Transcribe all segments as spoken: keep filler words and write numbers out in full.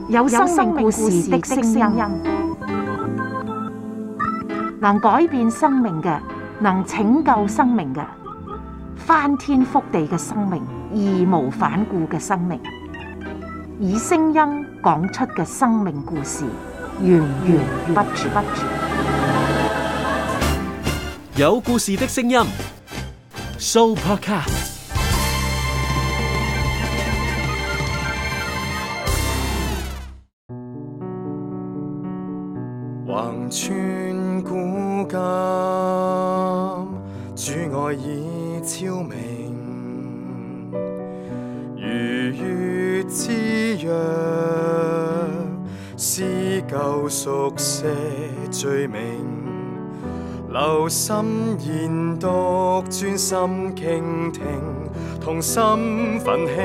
有生命故事的聲音，能改變生命嘅，能拯救生命嘅，翻天覆地嘅生命，義無反顧嘅生命，以聲音講出嘅生命故事，源源不絕。有故事的聲音 ，Sooopodcast。橫穿古今，主愛已超明，如月之約，撕舊熟寫罪名，留心研讀，專心傾聽，同心奮興，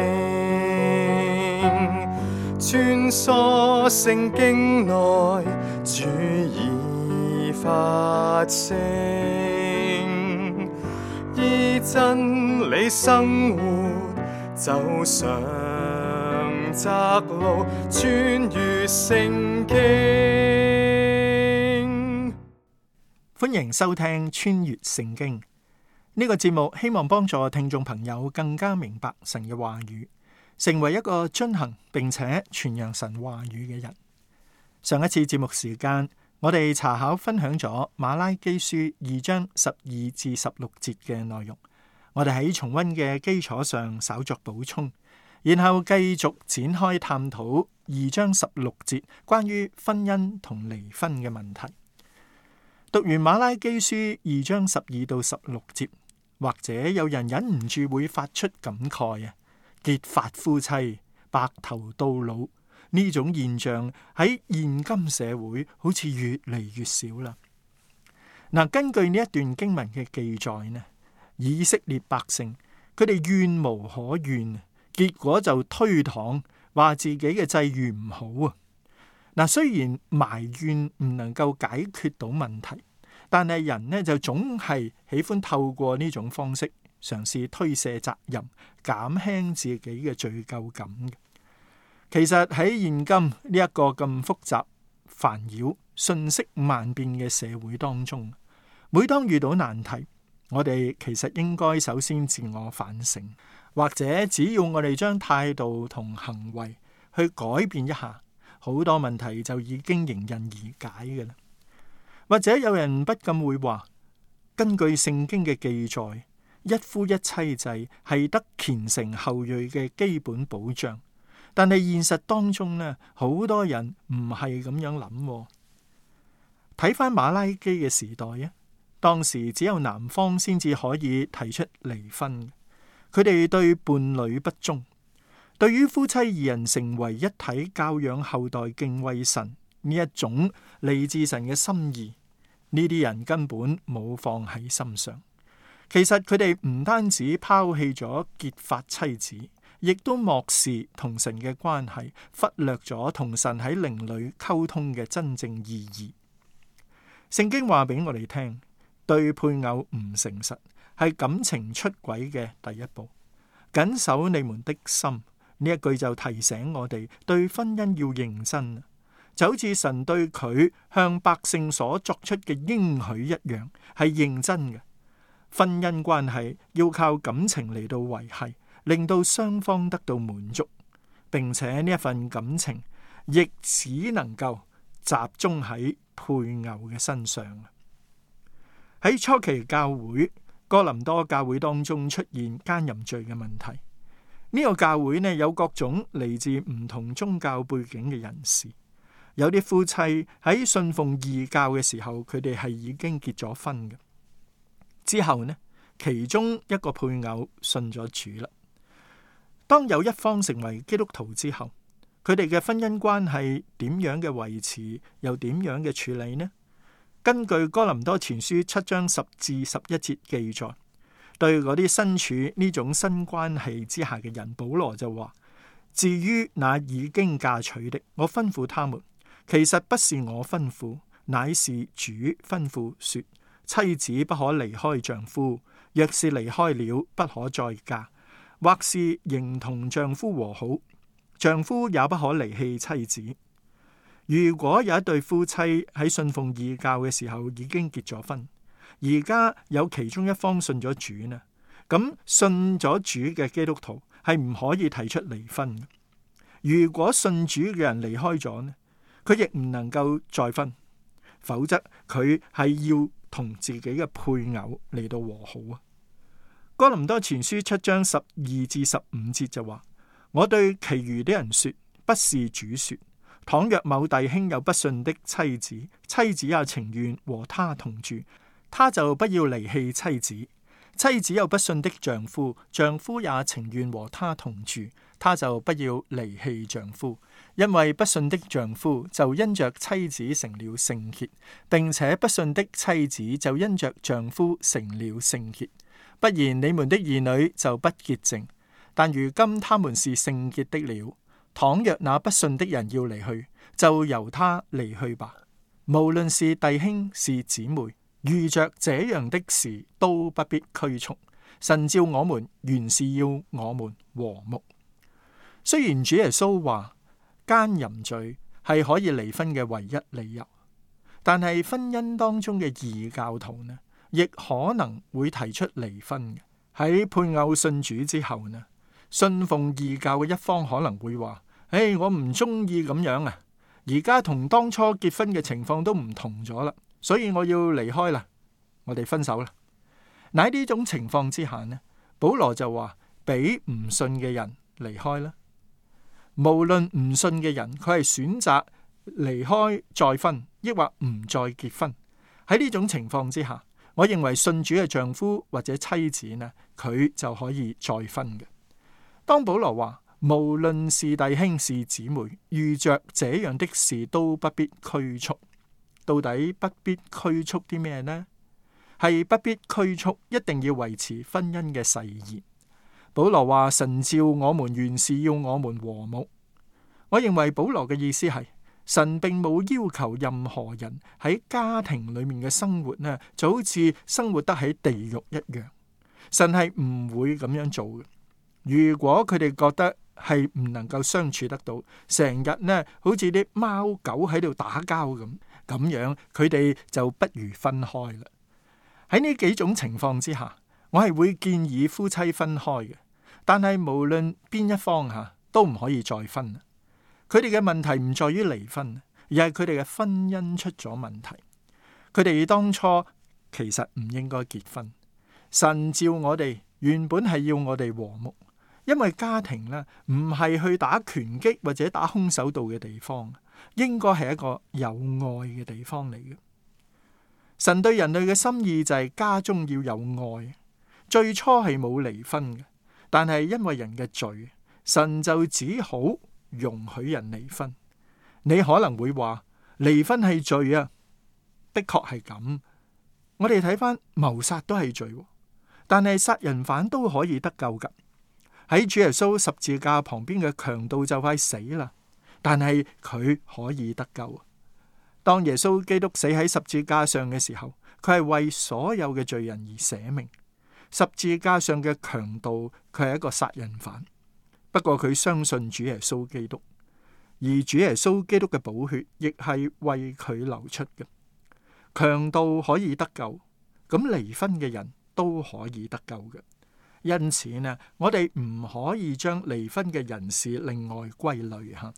穿梭聖經內，主已發聲，依真理生活，走上窄路，穿越聖經。歡迎收聽穿越聖經呢個節目，希望幫助聽眾朋友更加明白神嘅話語，成為一個遵行並且傳揚神話語嘅人。上一次節目時間，我哋查考分享咗馬拉基書二章十二至十六節嘅內容，我哋喺重溫嘅基礎上稍作補充，然後繼續展開探討二章十六節關於婚姻同離婚嘅問題。讀完馬拉基書二章十二到十六節，或者有人忍唔住會發出感慨啊！結髮夫妻白頭到老呢種現象喺現今社會好似越嚟越少啦。嗱，根據呢一段經文嘅記載呢，以色列百姓佢哋怨無可怨，結果就推搪話自己嘅際遇唔好啊。嗱，雖然埋怨唔能夠解決到問題，但係人呢就總係喜歡透過呢種方式嘗試推卸責任，減輕自己嘅罪疚感嘅。其實喺現今呢一個咁複雜、煩擾、瞬息萬變嘅社會當中，每當遇到難題，我哋其實應該首先自我反省，或者只要我哋將態度同行為去改變一下，好多問題就已經迎刃而解嘅啦。或者有人不禁會話，根據聖經嘅記載，一夫一妻制係得虔誠後裔嘅基本保障。但係現實當中呢，好多人唔係咁樣諗。睇翻馬拉基嘅時代啊，當時只有男方先至可以提出離婚。佢哋對伴侶不忠，對於夫妻二人成為一體教養後代敬畏神呢一種嚟自神嘅心意，呢啲人根本冇放喺心上。其實佢哋唔單止拋棄咗結髮妻子，亦都漠視同神嘅關係，忽略咗同神喺靈裏溝通嘅真正意義。聖經話俾我哋聽，對配偶唔誠實係感情出軌嘅第一步。謹守你們的心，呢一句就提醒我哋對婚姻要認真，就好似神對佢向百姓所作出嘅應許一樣，係認真嘅。婚姻關係要靠感情嚟到維繫，令到雙方得到滿足，並且呢一份感情亦只能夠集中喺配偶嘅身上。喺初期教會，哥林多教會當中出現奸淫罪嘅問題。呢個教會呢，有各種嚟自唔同宗教背景嘅人士，有啲夫妻喺信奉異教嘅時候，佢哋係已經結咗婚嘅。之後呢，其中一個配偶信咗主啦。當有一方成為基督徒之後，佢哋嘅婚姻關係點樣嘅維持，又點樣嘅處理呢？根據哥林多前書七章十至十一節記載，對嗰啲身處呢種新關係之下嘅人，保羅就話：至於那已經嫁娶的，我吩咐他們，其實不是我吩咐，乃是主吩咐說。妻子不可離開丈夫，若是離開了，不可再嫁，或是仍同丈夫和好，丈夫也不可離棄妻子。如果有一對夫妻喺信奉異教嘅時候已經結咗婚，而家有其中一方信咗主呢，咁信咗主嘅基督徒係唔可以提出離婚嘅。如果信主嘅人離開咗呢，佢亦唔能夠再婚，否則佢係要同自己嘅配偶嚟到和好啊。哥林多前書七章十二至十五節就話：我對其餘的人說，不是主說，倘若某弟兄有不信的妻子，妻子也情願和他同住，他就不要離棄妻子；妻子有不信的丈夫，丈夫也情願和他同住，他就不要離棄丈夫。因為不信的丈夫就因着妻子成了聖潔，並且不信的妻子就因着丈夫成了聖潔。不然你們的兒女就不潔淨，但如今他們是聖潔的了。倘若那不信的人要離去，就由他離去吧。無論是弟兄是姊妹，遇着這樣的事都不必拘束。神召我們原是要我們和睦。雖然主耶穌話奸淫罪係可以離婚嘅唯一理由，但係婚姻當中嘅異教徒呢，亦可能會提出離婚嘅。喺配偶信主之後呢，信奉異教嘅一方可能會話：誒，我唔中意咁樣啊！而家同當初結婚嘅情況都唔同咗啦，所以我要離開啦，我哋分手啦。嗱，喺呢種情況之下呢，保羅就話俾唔信嘅人離開啦。無論唔信嘅人，佢係選擇離開再婚，抑或唔再結婚。喺呢種情況之下，我認為信主嘅丈夫或者妻子呢，佢就可以再婚嘅。當保羅話無論是弟兄是姊妹，遇着這樣的事都不必拘束，到底不必拘束啲咩呢？係不必拘束，一定要維持婚姻嘅誓言。保羅話神召我們原是要我們和睦。我認為保羅嘅意思係神並冇要求任何人喺家庭裏面嘅生活呢，就好似生活得喺地獄一樣。神係唔會咁樣做嘅。如果佢哋覺得係唔能夠相處得到，成日呢好似啲貓狗喺度打交咁，咁樣佢哋就不如分開啦。喺呢幾種情況之下，我係會建議夫妻分開嘅。但係無論邊一方吓，都唔可以再婚。佢哋嘅問題唔在於離婚，而係佢哋嘅婚姻出咗問題。佢哋當初其實唔應該結婚。神召我哋原本係要我哋和睦，因為家庭呢唔係去打拳擊或者打空手道嘅地方，應該係一個有愛嘅地方嚟嘅。神對人類嘅心意就係家中要有愛。最初係冇離婚嘅，但係因為人嘅罪，神就只好容許人離婚。你可能會話離婚係罪啊，的確係咁。我哋睇翻謀殺都係罪，但係殺人犯都可以得救噶。喺主耶穌十字架旁邊嘅強盜就快死啦，但係佢可以得救。當耶穌基督死喺十字架上嘅時候，佢係為所有嘅罪人而捨命。十字架上嘅強盜，佢係一個殺人犯，不過佢相信主耶穌基督，而主耶穌基督嘅寶血亦係為佢流出嘅。強盜可以得救，咁離婚嘅人都可以得救嘅。因此呢，我哋唔可以將離婚嘅人士另外歸類吓。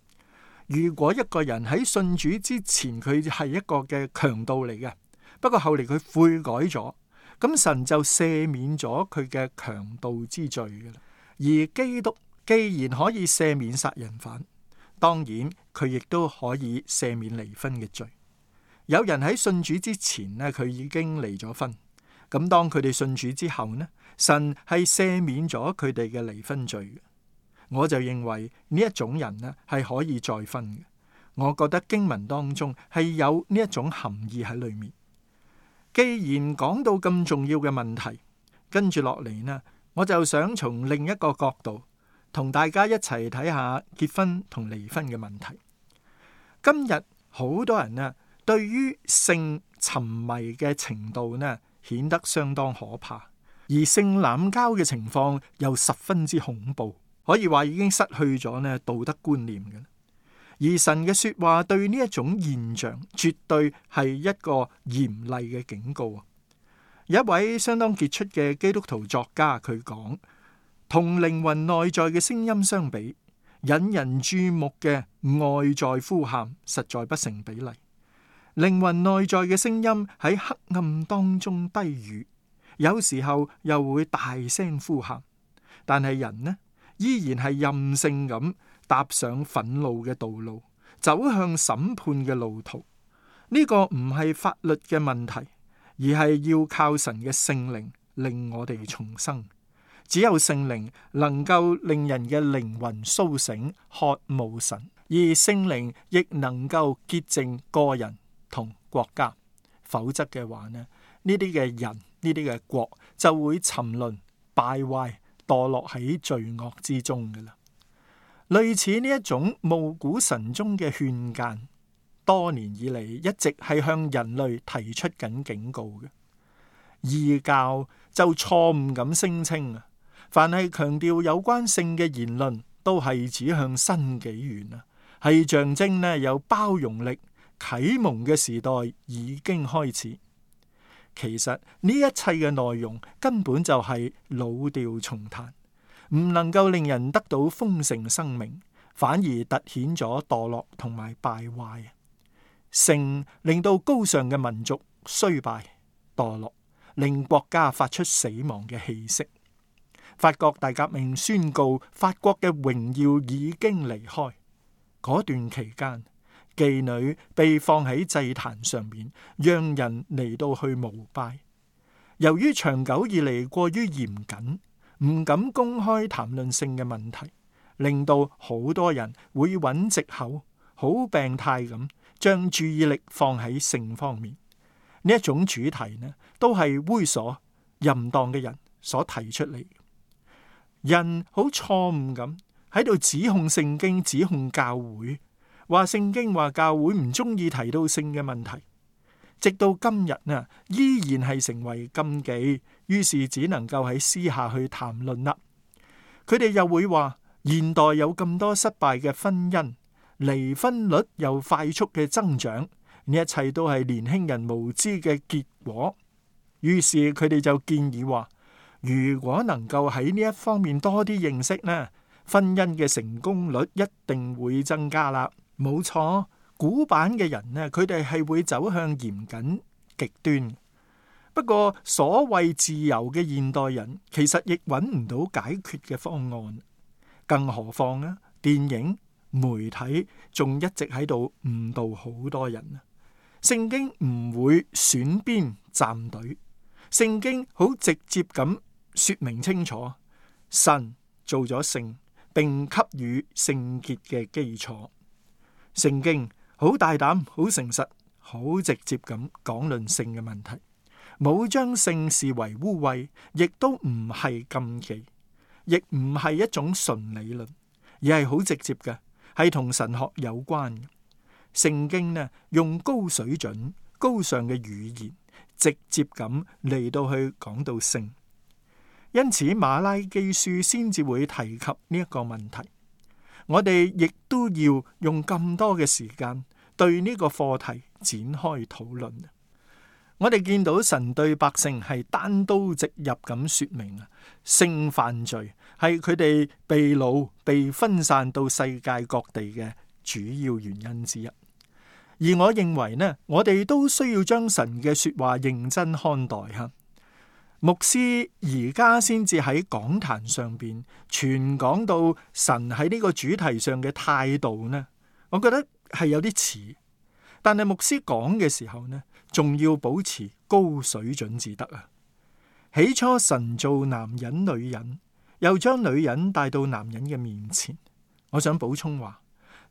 如果一個人喺信主之前，佢係一個嘅強盜嚟嘅，不過後嚟佢悔改咗，咁神就赦免咗佢嘅強盜之罪嘅啦。而基督既然可以赦免殺人犯，當然佢亦都可以赦免離婚嘅罪。有人喺信主之前呢，佢已經離咗婚，咁當佢哋信主之後呢，神係赦免咗佢哋嘅離婚罪嘅。我就認為呢一種人呢係可以再婚嘅。我覺得經文當中係有呢一種含義喺裏面。既然講到咁重要嘅問題，跟住落嚟呢，我就想從另一個角度同大家一齊睇下結婚同離婚嘅問題。今日好多人呢對於性沉迷嘅程度呢顯得相當可怕，而性濫交嘅情況又十分之恐怖。可以話已經失去咗呢道德觀念嘅。而神嘅說話對呢一種現象，絕對係一個嚴厲嘅警告。有一位相當傑出嘅基督徒作家，佢講，同靈魂內在嘅聲音相比，引人注目嘅外在呼喊實在不成比例。靈魂內在嘅聲音喺黑暗當中低語，有時候又會大聲呼喊，但係人呢，依然係任性咁踏上憤怒嘅道路，走向審判嘅路途。呢個唔係法律嘅問題，而係要靠神嘅聖靈令我哋重生。只有聖靈能夠令人嘅靈魂甦醒，渴慕神，而聖靈亦能夠潔淨個人同國家。否則嘅話呢，呢啲嘅人，呢啲嘅國就會沉淪、敗壞、墮落喺罪惡之中嘅啦。類似呢一種暮鼓晨鐘嘅勸諫，多年以嚟一直係向人類提出緊警告嘅。異教就錯誤咁聲稱啊，凡係強調有關性嘅言論，都係指向新紀元啊，係象徵呢有包容力、啟蒙嘅時代已經開始。其實呢一切嘅內容根本就係老調重彈，唔能夠令人得到豐盛生命，反而凸顯咗墮落同埋敗壞。性令到高尚嘅民族衰敗墮落，令國家發出死亡嘅氣息。法國大革命宣告法國嘅榮耀已經離開。嗰段期間，妓女被放喺祭壇上面，讓人嚟到去膜拜。由於長久以嚟過於嚴謹，唔敢公開談論性嘅問題，令到好多人會揾藉口，好病態咁將注意力放喺性方面。呢一種主題呢，都係猥瑣淫蕩嘅人所提出嚟。人好錯誤咁喺度指控聖經，指控教會，話聖經話教會唔中意提到性嘅問題，直到今日啊，依然係成為禁忌，於是只能夠喺私下去談論啦。佢哋又會話現代有咁多失敗嘅婚姻，離婚率又快速嘅增長，呢一切都係年輕人無知嘅結果。於是佢哋就建議話，如果能夠喺呢一方面多啲認識呢，婚姻嘅成功率一定會增加啦。冇錯，古板嘅人呢，佢哋係會走向嚴謹極端。不過所謂自由嘅現代人，其實亦揾唔到解決嘅方案。更何況呢，電影媒體仲一直喺度誤導好多人啊！聖經唔會選邊站隊，聖經好直接咁說明清楚，神做咗性，並給予聖潔嘅基礎。聖經好大膽、好誠實、好直接咁講論性嘅問題，冇將性視為污穢，亦都唔係禁忌，亦唔係一種純理論，而係好直接嘅，係同神學有關嘅。聖經呢，用高水準、高尚嘅語言，直接咁嚟到去講到性，因此馬拉基書先至會提及呢一個問題。我哋亦都要用咁多嘅時間對呢個課題展開討論。我哋見到神對百姓係單刀直入咁說明啊，性犯罪係佢哋被擄、被分散到世界各地嘅主要原因之一。而我認為呢，我哋都需要將神嘅說話認真看待吓。牧師而家先至喺講壇上邊傳講到神喺呢個主題上嘅態度呢，我覺得係有啲遲。但係牧師講嘅時候呢，仲要保持高水準至得啊！起初神造男人女人，又將女人帶到男人嘅面前。我想補充話，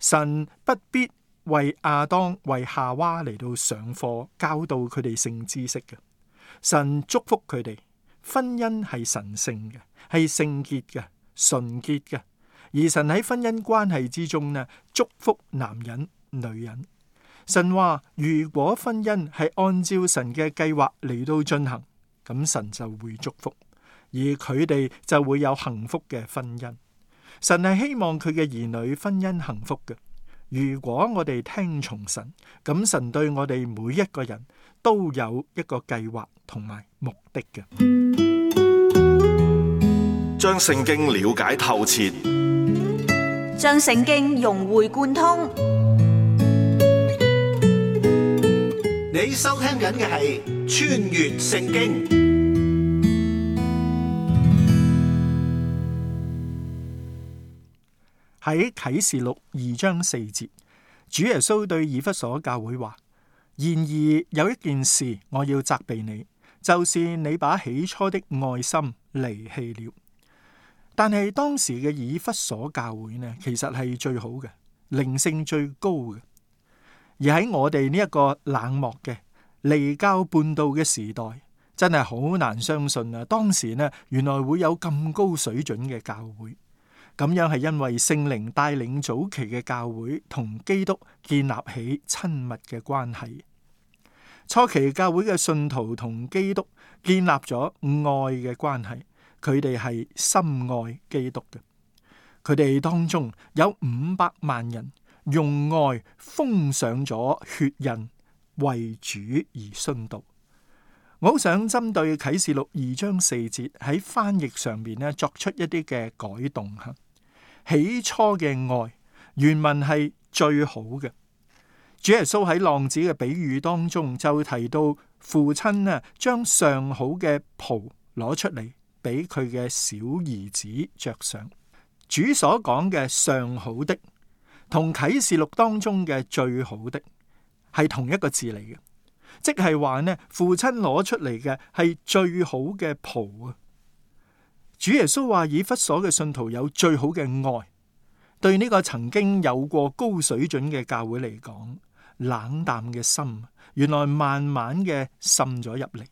神不必為亞當、為夏娃嚟到上課，教導佢哋性知識嘅。神祝福佢哋，婚姻係神聖嘅，係聖潔嘅、純潔嘅。而神喺婚姻關係之中呢，祝福男人、女人。神話如果婚姻係按照神嘅計劃嚟到進行，咁神就會祝福，而佢哋就會有幸福嘅婚姻。神係希望佢嘅兒女婚姻幸福嘅。如果我哋聽從神，咁神對我哋每一個人都有一個計劃同埋目的嘅。將聖經了解透徹，將聖經融會貫通。你收聽緊嘅係《穿越聖經》。喺啟示錄二章四節，主耶穌對以弗所教會話：然而有一件事我要責備你，就是你把起初的愛心離棄了。但係當時嘅以弗所教會呢，其實係最好嘅，靈性最高嘅。而喺我哋呢一個冷漠嘅離教叛道嘅時代，真係好難相信啊！當時呢，原來會有咁高水準嘅教會。咁樣係因為聖靈帶領早期嘅教會同基督建立起親密嘅關係。初期教會嘅信徒同基督建立咗愛嘅關係，佢哋係深愛基督嘅。佢哋當中有五百萬人用愛封上咗血印，為主而殉道。我好想針對啟示錄二章四節喺翻譯上面咧作出一啲嘅改動吓。起初嘅愛原文係最好嘅。主耶穌喺浪子嘅比喻當中就提到父親啊，將上好嘅袍攞出嚟俾佢嘅小兒子着上。主所講嘅上好的同啟示錄當中嘅最好的係同一個字嚟嘅，即係話呢，父親攞出嚟嘅係最好嘅袍啊。主耶穌話以弗所嘅信徒有最好嘅愛，對呢個曾經有過高水準嘅教會嚟講，冷淡嘅心原來慢慢嘅滲咗入嚟。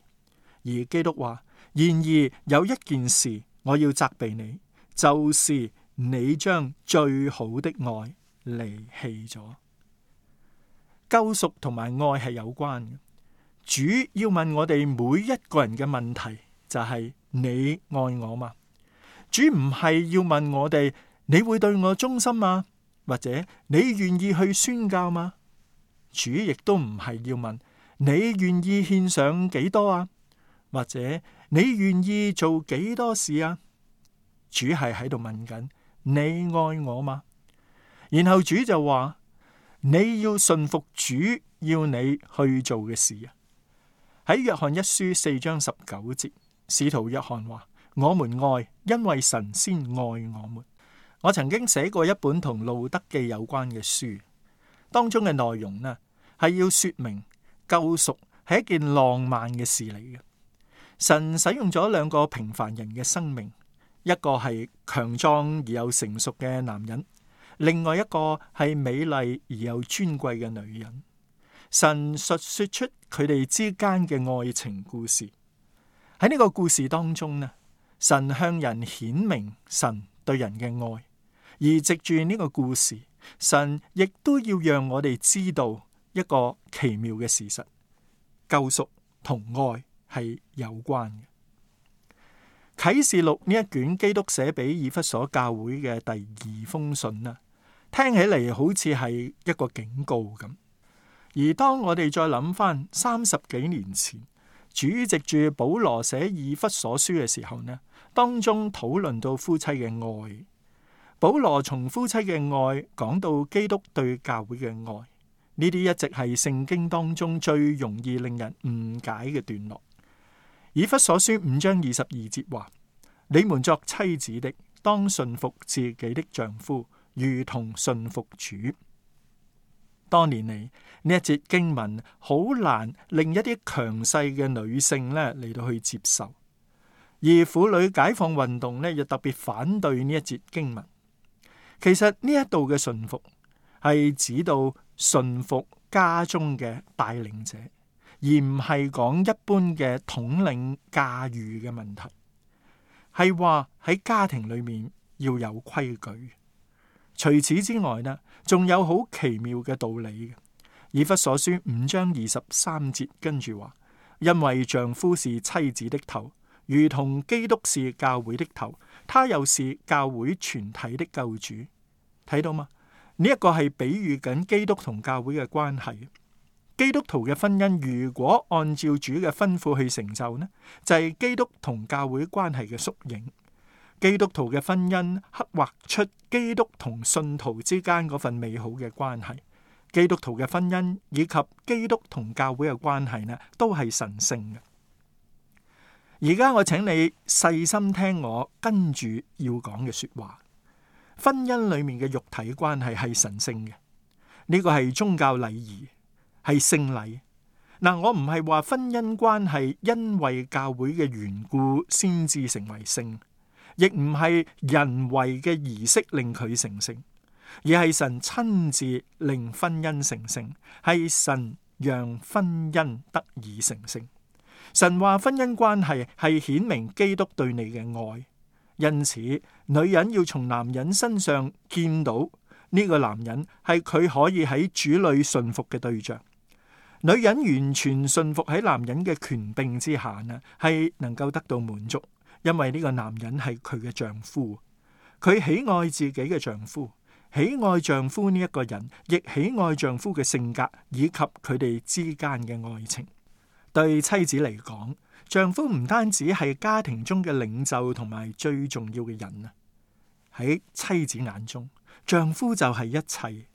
而基督話：然而有一件事我要責備你，就是你將最好的愛離棄咗。救贖同埋愛係有關嘅。主要問我哋每一個人嘅問題就係：你愛我嗎？主唔係要問我哋，你會對我忠心嗎？或者你願意去宣教嗎？主亦都唔係要問你願意獻上幾多啊？或者你願意做幾多事啊？主係喺度問緊你愛我嗎？然後主就話你要順服主要你去做嘅事啊。喺約翰一書四章十九節，使徒約翰話：我們愛，因為神先愛我們。我曾經寫過一本同路德記有關嘅書，當中嘅內容呢係要說明救贖係一件浪漫嘅事嚟嘅。神使用咗兩個平凡人嘅生命，一個係強壯而又成熟嘅男人，另外一個係美麗而又尊貴嘅女人。神述說出佢哋之間嘅愛情故事。喺呢個故事當中呢，神向人顯明神對人嘅愛，而藉住呢個故事，神亦都要讓我哋知道一個奇妙嘅事實：救贖同愛係有關嘅。啟示錄呢一卷基督寫俾以弗所教會嘅第二封信啊，聽起嚟好似係一個警告咁。而當我哋再諗翻三十幾年前，主藉住保羅寫以弗所書嘅時候呢，當中討論到夫妻嘅愛。保羅從夫妻嘅愛講到基督對教會嘅愛，呢啲一直係聖經當中最容易令人誤解嘅段落。以弗所書五章二十二節話：你們作妻子的，當順服自己的丈夫，如同順服主。多年嚟，呢一節經文好難令一啲強勢嘅女性咧嚟到去接受，而婦女解放運動咧又特別反對呢一節經文。其實呢一度嘅順服係指到順服家中嘅帶領者，而唔係講一般嘅統領駕馭嘅問題，係話喺家庭裏面要有規矩。除此之外呢，仲有好奇妙嘅道理嘅。以弗所書五章二十三節跟住話：因為丈夫是妻子的頭，如同基督是教會的頭，他又是教會全體的救主。睇到嗎？呢一個係比喻緊基督同教會嘅關係。基督徒嘅婚姻如果按照主嘅吩咐去成就呢，就係基督同教會關係嘅縮影。基督徒嘅婚姻刻畫出基督同信徒之間嗰份美好嘅關係。基督徒嘅婚姻以及基督同教會嘅關係呢，都係神聖嘅。而家我請你細心聽我跟住要講嘅說話。婚姻裏面嘅肉體關係係神聖嘅，呢個係宗教禮儀，係聖禮。嗱，我唔係話婚姻關係因為教會嘅緣故先至成為聖，亦唔係人為嘅儀式令佢成聖，而係神親自令婚姻成聖，係神讓婚姻得以成聖。神話婚姻關係係顯明基督對你嘅愛。因此，女人要從男人身上見到呢個男人係佢可以喺主裏順服嘅對象。女人完全順服喺男人嘅權柄之下呢，係能夠得到滿足，因為呢個男人係佢嘅丈夫，佢喜愛自己嘅丈夫，喜愛丈夫呢一個人，亦喜愛丈夫嘅性格以及佢哋之間嘅愛情。對妻子嚟講，丈夫唔單止係家庭中嘅領袖同埋最重要嘅人啊，喺妻子眼中，丈夫就係一切。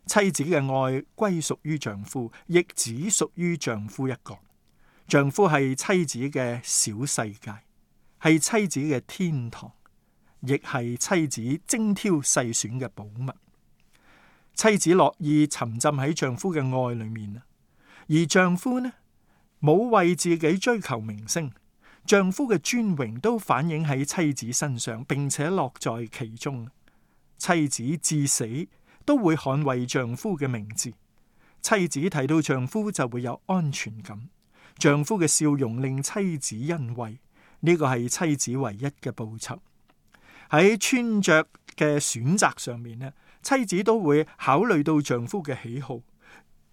妻子嘅愛歸屬於丈夫，亦只屬於丈夫一個。丈夫係妻子嘅小世界，係妻子嘅天堂，亦係妻子精挑細選嘅寶物。妻子樂意沉浸喺丈夫嘅愛裏面啊，而丈夫呢，冇為自己追求名聲，丈夫嘅尊榮都反映喺妻子身上，並且樂在其中。妻子至死都會捍衛丈夫嘅名字。妻子睇到丈夫就會有安全感，丈夫嘅笑容令妻子欣慰，呢個係妻子唯一嘅報酬。喺穿着嘅選擇上面呢，妻子都會考慮到丈夫嘅喜好，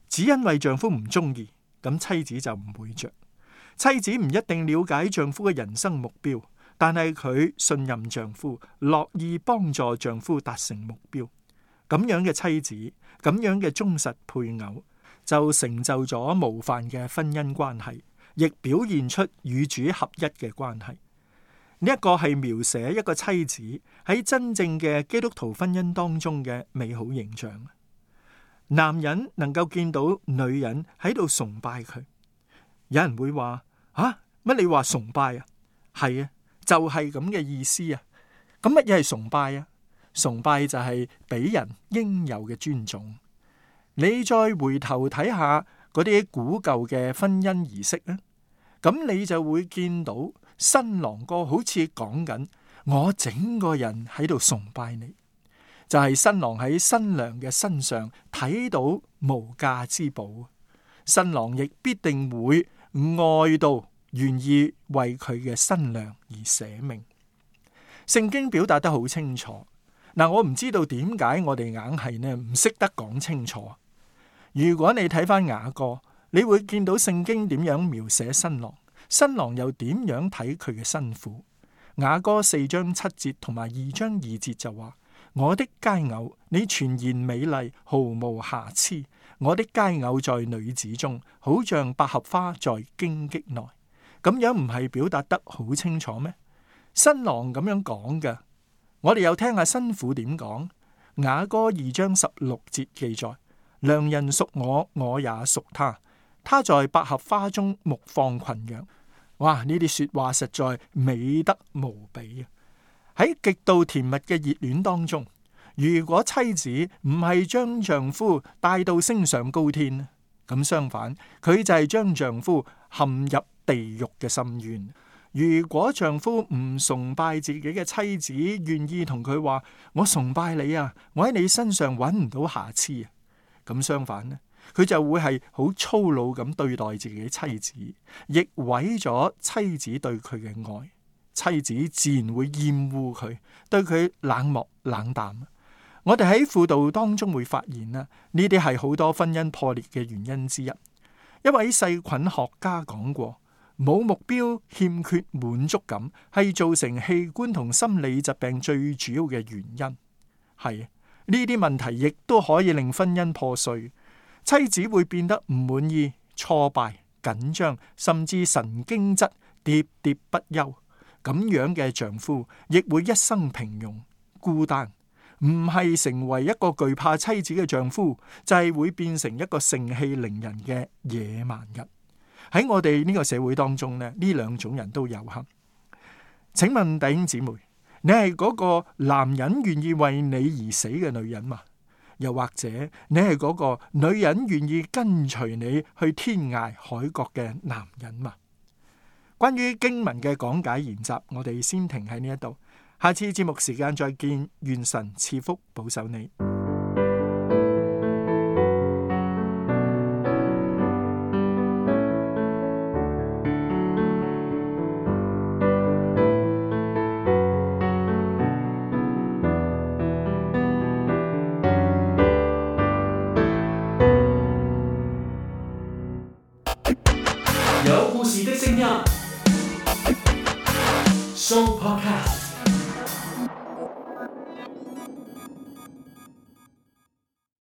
只因為丈夫唔中意，咁妻子就唔會着。妻子唔一定了解丈夫嘅人生目標，但係佢信任丈夫，樂意幫助丈夫達成目標。咁樣嘅妻子，咁樣嘅忠實配偶，就成就咗模範嘅婚姻關係，亦表現出與主合一嘅關係。呢一個係描寫一個妻子喺真正嘅基督徒婚姻當中嘅美好形象。男人能夠見到女人喺度崇拜佢，有人會話：啊，乜你話崇拜啊？係啊，就係咁嘅意思啊。咁乜嘢係崇拜啊？崇拜就係俾人應有嘅尊重。你再回頭睇下嗰啲古舊嘅婚姻儀式啊，咁你就會見到新郎哥好似講緊：我整個人喺度崇拜你。就係新郎喺新娘嘅身上睇到無價之寶，新郎亦必定會愛到願意為佢嘅新娘而捨命。聖經表達得好清楚。嗱，我唔知道點解我哋硬係呢唔識得講清楚。如果你睇翻雅歌，你會見到聖經點樣描寫新郎，新郎又點樣睇佢嘅新婦。雅歌四章七節同埋二章二節就話：我的佳偶，你全然美麗，毫無瑕疵。我的佳偶在女子中，好像百合花在荊棘內。咁樣唔係表達得好清楚咩？新郎咁樣講嘅。我哋又聽下新婦點講。雅歌二章十六節記載：良人屬我，我也屬他。他在百合花中牧放群羊。哇！呢啲說話實在美得無比啊！喺極度甜蜜嘅熱戀當中，如果妻子唔係將丈夫帶到升上高天，咁相反，佢就係將丈夫陷入地獄嘅深淵。如果丈夫唔崇拜自己嘅妻子，願意同佢話：我崇拜你啊，我喺你身上揾唔到瑕疵啊，咁相反呢，佢就會係好粗魯咁對待自己妻子，亦毀咗妻子對佢嘅愛。妻子自然會厭惡佢，對佢冷漠冷淡。我哋喺輔導當中會發現啦，呢啲係好多婚姻破裂嘅原因之一。一位細菌學家講過：冇目標、欠缺滿足感，係造成器官同心理疾病最主要嘅原因。係呢啲問題亦都可以令婚姻破碎，妻子會變得唔滿意、挫敗、緊張，甚至神經質、喋喋不休。咁樣嘅丈夫亦會一生平庸、孤單。唔係成為一個懼怕妻子嘅丈夫，就係會變成一個盛氣凌人嘅野蠻人。喺我哋呢個社會當中呢，呢兩種人都有幸。請問弟兄姊妹，你係嗰個男人願意為你而死嘅女人嘛？又或者你係嗰個女人願意跟隨你去天涯海角嘅男人嘛？關於經文嘅講解研習，我哋先停喺呢一度。下次節目時間再見，願神賜福保守你。有故事的聲音，Show Podcast。